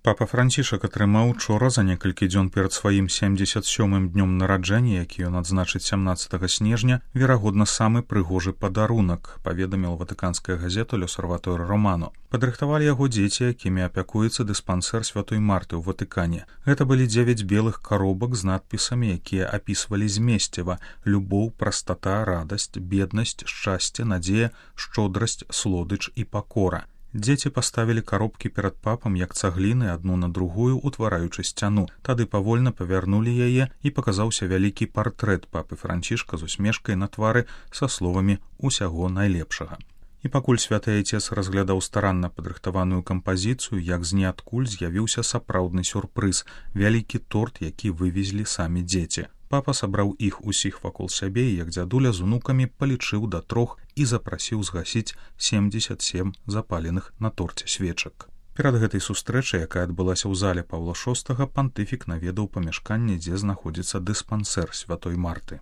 Папа Францішак атрымаў учора за некалькі дзён перад сваім 77-м днём нараджэння, які ён адзначыць 17 снежня, верагодна, самы прыгожы падарунак, паведаміла ватыканская газета «L'Osservatore Romano». Падрыхтавалі яго дзеці, якімі апякуецца дыспансер Святой Марты ў Ватыкане. Гэта былі 9 белых каробак з надпісамі, якія апісвалі змесціва: любоў, прастата, радасць, беднасць, шчасце, надзея, шчодрасць, слодыч і пакора. Дзеці паставілі каробкі перад папам як цагліны адну на другую, утвараючы сцяну. Тады павольна павярнулі яе, і паказаўся вялікі партрэт папы Францішка з усмешкай на твары са словамі «усяго найлепшага». І пакуль святы айцец разглядаў старанна падрыхтаваную кампазіцыю, як з ніадкуль з'явіўся сапраўдны сюрпрыз — вялікі торт, які вывезлі самі дзеці. Папа сабраў іх усіх вакол сябе і, як дзядуля з унукамі, палічыў да 3 і запрасіў згасіць 77 запаленых на торце свечак. Перад гэтай сустрэчай, якая адбылася ў зале Паўла VI, пантыфік наведаў памяшканне, дзе знаходзіцца дыспансер Святой Марты.